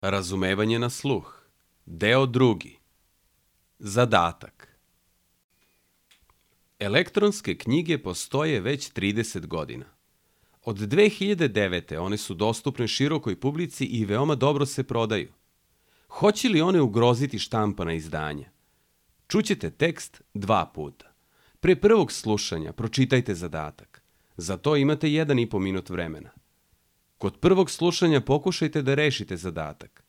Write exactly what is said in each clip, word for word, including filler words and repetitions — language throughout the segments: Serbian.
Razumevanje na sluh. Deo drugi. Zadatak. Elektronske knjige postoje već trideset godina. Od dve hiljade devete. one su dostupne širokoj publici i veoma dobro se prodaju. Hoće li one ugroziti štampana izdanja? Čućete tekst dva puta. Pre prvog slušanja pročitajte zadatak. Za to imate jedan i po minut vremena. Kod prvog slušanja pokušajte da rešite zadatak.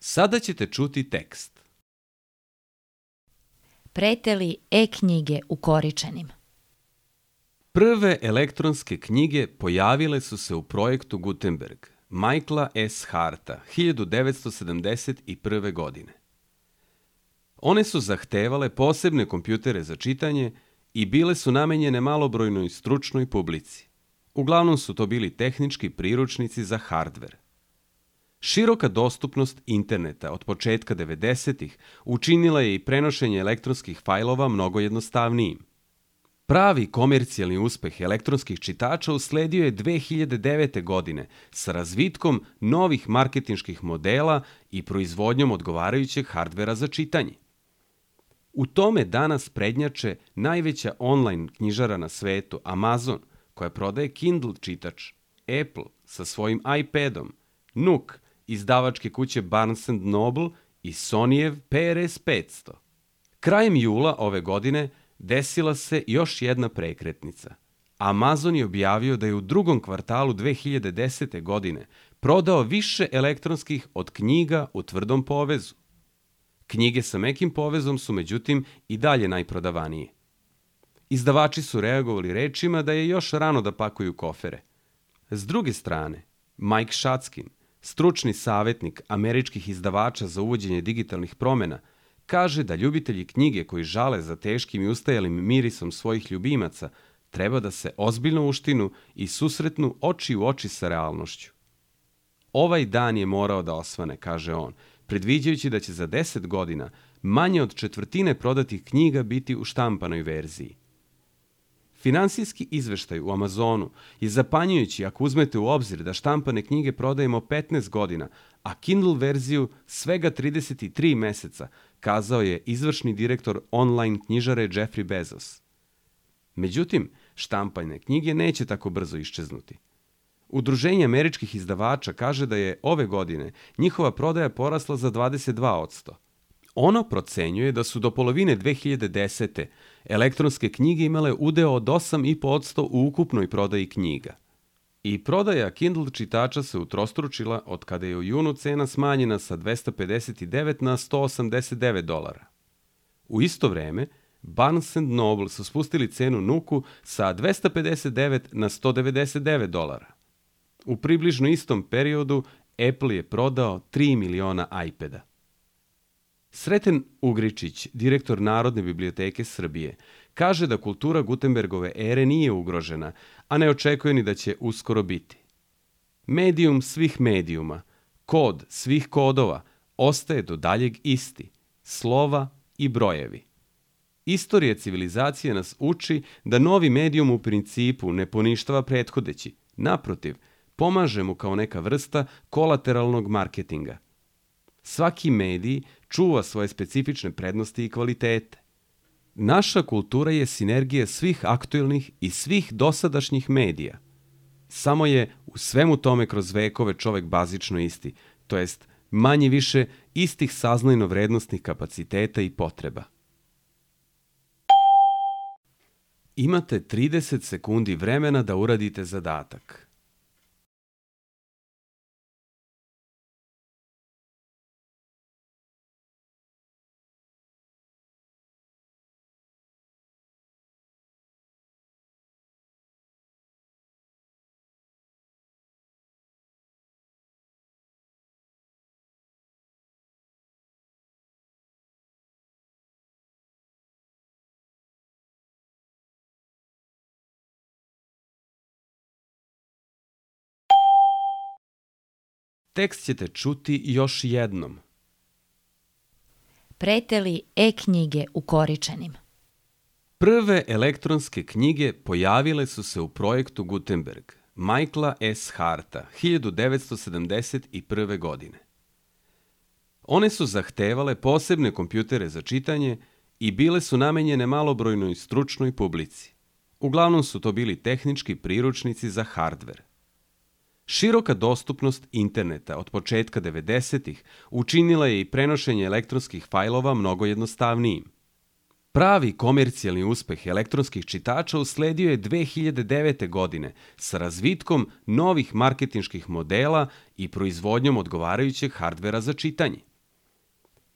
Sada ćete čuti tekst. Prete li e-knjige ukoričenim? Prve elektronske knjige pojavile su se u projektu Gutenberg, Michaela S. Harta, hiljadu devetsto sedamdeset prve. godine. One su zahtevale posebne kompjutere za čitanje i bile su namenjene malobrojnoj stručnoj publici. Uglavnom su to bili tehnički priručnici za hardver. Široka dostupnost interneta od početka devedesetih učinila je i prenošenje elektronskih fajlova mnogo jednostavnijim. Pravi komercijalni uspeh elektronskih čitača usledio je dve hiljade devete. godine sa razvitkom novih marketinških modela i proizvodnjom odgovarajućeg hardvera za čitanje. U tome danas prednjače najveća online knjižara na svetu, Amazon, koja prodaje Kindle čitač, Apple sa svojim iPadom, Nook, izdavačke kuće Barnes and Noble i Sonyjev P R S petsto. Krajem jula ove godine desila se još jedna prekretnica. Amazon je objavio da je u drugom kvartalu dve hiljade desete. godine prodao više elektronskih od knjiga u tvrdom povezu. Knjige sa mekim povezom su međutim i dalje najprodavanije. Izdavači su reagovali rečima da je još rano da pakuju kofere. S druge strane, Mike Šackin, stručni savjetnik američkih izdavača za uvođenje digitalnih promjena, kaže da ljubitelji knjige koji žale za teškim i ustajalim mirisom svojih ljubimaca treba da se ozbiljno uštinu i susretnu oči u oči sa realnošću. Ovaj dan je morao da osvane, kaže on, predviđajući da će za deset godina manje od četvrtine prodatih knjiga biti u štampanoj verziji. Finansijski izveštaj u Amazonu je zapanjujući ako uzmete u obzir da štampane knjige prodajemo petnaest godina, a Kindle verziju svega trideset tri meseca, kazao je izvršni direktor online knjižare Jeffrey Bezos. Međutim, štampane knjige neće tako brzo iščeznuti. Udruženje američkih izdavača kaže da je ove godine njihova prodaja porasla za dvadeset dva posto. Ono procenjuje da su do polovine dve hiljade desete. elektronske knjige imale udeo od osam i po posto u ukupnoj prodaji knjiga. I prodaja Kindle čitača se utrostručila od kada je u junu cena smanjena sa dvesta pedeset devet na sto osamdeset devet dolara. U isto vreme, Barnes and Noble su spustili cenu Nooku sa dvesta pedeset devet na sto devedeset devet dolara. U približno istom periodu Apple je prodao tri miliona iPada. Sreten Ugričić, direktor Narodne biblioteke Srbije, kaže da kultura Gutenbergove ere nije ugrožena, a ne očekuje ni da će uskoro biti. Medijum svih medijuma, Kod svih kodova ostaje do daljeg isti, slova i brojevi. Istorija civilizacije nas uči da novi medijum u principu ne poništava prethodeći, naprotiv, pomaže mu kao neka vrsta kolateralnog marketinga. Svaki medij čuva svoje specifične prednosti i kvalitete. Naša kultura je sinergija svih aktuelnih i svih dosadašnjih medija. Samo je u svemu tome kroz vekove čovek bazično isti, to jest manje više istih saznajno-vrednostnih kapaciteta i potreba. Imate trideset sekundi vremena da uradite zadatak. Tekst ćete čuti još jednom. Prete li e-knjige ukoričenim? Prve elektronske knjige pojavile su se u projektu Gutenberg, Michaela S. Harta, hiljadu devetsto sedamdeset prve. godine. One su zahtevale posebne kompjutere za čitanje i bile su namenjene malobrojnoj stručnoj publici. Uglavnom su to bili tehnički priručnici za hardver. Široka dostupnost interneta od početka devedesetih učinila je i prenošenje elektronskih fajlova mnogo jednostavnijim. Pravi komercijalni uspeh elektronskih čitača usledio je dve hiljade devete. godine sa razvitkom novih marketinških modela i proizvodnjom odgovarajućeg hardvera za čitanje.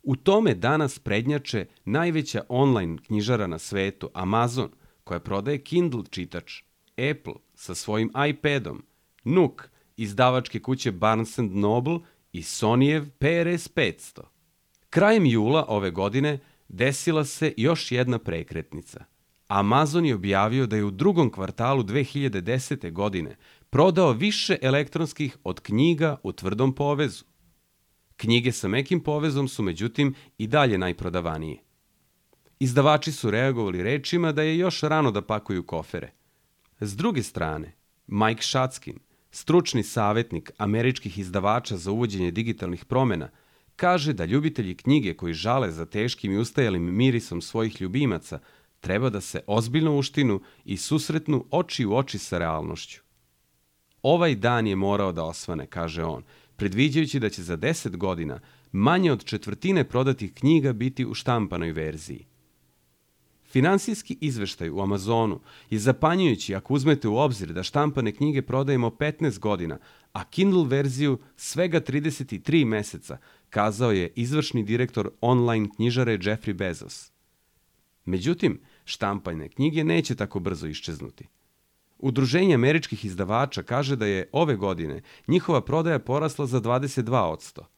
U tome danas prednjače najveća online knjižara na svetu, Amazon, koja prodaje Kindle čitač, Apple sa svojim iPadom, Nook, izdavačke kuće Barnes and Noble i Sonyjev P R S petsto. Krajem jula ove godine desila se još jedna prekretnica. Amazon je objavio da je u drugom kvartalu dve hiljade desete. godine prodao više elektronskih od knjiga u tvrdom povezu. Knjige sa mekim povezom su međutim i dalje najprodavanije. Izdavači su reagovali rečima da je još rano da pakuju kofere. S druge strane, Mike Shatskin, stručni savjetnik američkih izdavača za uvođenje digitalnih promjena, kaže da ljubitelji knjige koji žale za teškim i ustajalim mirisom svojih ljubimaca treba da se ozbiljno uštinu i susretnu oči u oči sa realnošću. Ovaj dan je morao da osvane, kaže on, predviđajući da će za deset godina manje od četvrtine prodatih knjiga biti u štampanoj verziji. Finansijski izveštaj u Amazonu je zapanjujući ako uzmete u obzir da štampane knjige prodajemo petnaest godina, a Kindle verziju svega trideset tri meseca, kazao je izvršni direktor online knjižare Jeffrey Bezos. Međutim, štampane knjige neće tako brzo iščeznuti. Udruženje američkih izdavača kaže da je ove godine njihova prodaja porasla za dvadeset dva posto.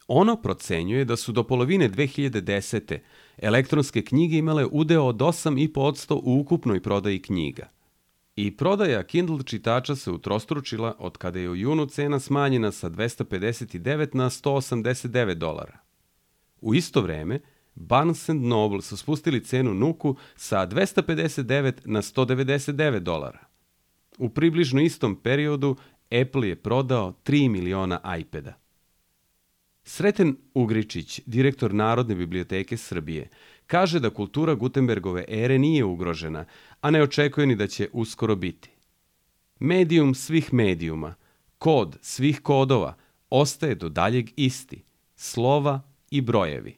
Ono procenjuje da su do polovine dve hiljade desete. elektronske knjige imale udeo od osam i po posto u ukupnoj prodaji knjiga. I prodaja Kindle čitača se utrostručila od kada je u junu cena smanjena sa dvesta pedeset devet na sto osamdeset devet dolara. U isto vreme, Barnes and Noble su spustili cenu Nooku sa dvesta pedeset devet na sto devedeset devet dolara. U približno istom periodu Apple je prodao tri miliona iPada. Sreten Ugričić, direktor Narodne biblioteke Srbije, kaže da kultura Gutenbergove ere nije ugrožena, a ne očekuje ni da će uskoro biti. Medijum svih medijuma, kod svih kodova, ostaje do daljeg isti, slova i brojevi.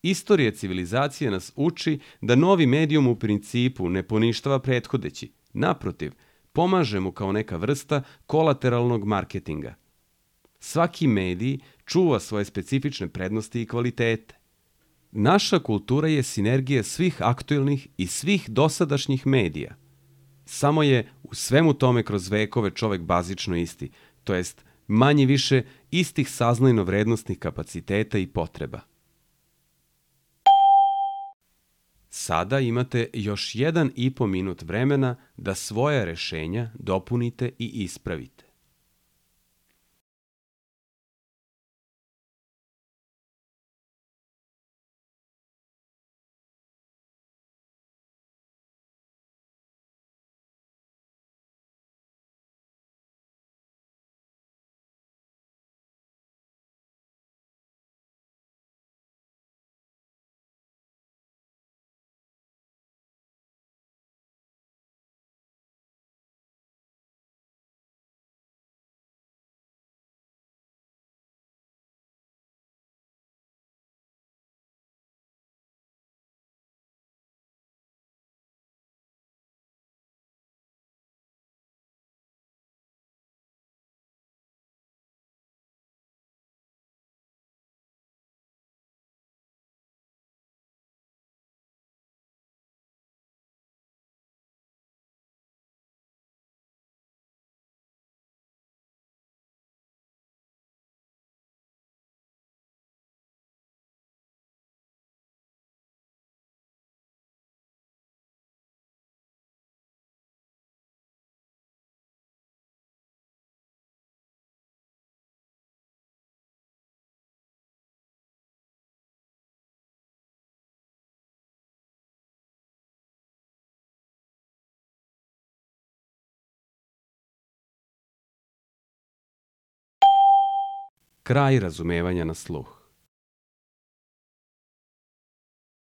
Istorija civilizacije nas uči da novi medijum u principu ne poništava prethodeći, naprotiv, pomaže mu kao neka vrsta kolateralnog marketinga. Svaki medij čuva svoje specifične prednosti i kvalitete. Naša kultura je sinergija svih aktuelnih i svih dosadašnjih medija. Samo je u svemu tome kroz vekove čovek bazično isti, to jest manje više istih saznajno-vrednostnih kapaciteta i potreba. Sada imate još jedan i po minut vremena da svoja rešenja dopunite i ispravite. Kraj razumevanja na sluh.